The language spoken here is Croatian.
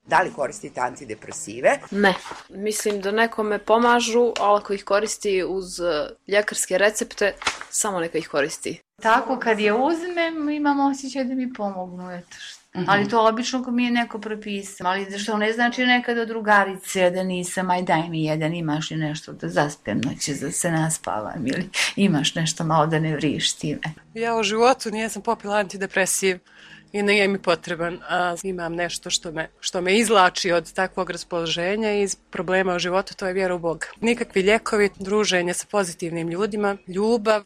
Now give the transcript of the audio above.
Da li koristite antidepresive? Ne. Mislim da nekome pomažu, ali ako ih koristi uz ljekarske recepte, samo neka ih koristi. Tako kad je uzmem, imam osjećaj da mi pomognu, eto što. Ali to obično ko mi je neko propisao. Ali što ne znači nekada drugarice da nisam, aj daj mi jedan, imaš li nešto da zaspem noći, da se naspavam ili imaš nešto malo da ne vriš time. Ja u životu nisam popila antidepresiv i nije mi potreban, a imam nešto što me izvlači od takvog raspoloženja i iz problema u životu, to je vjera u Boga. Nikakvi lijekovi, druženje sa pozitivnim ljudima, ljubav.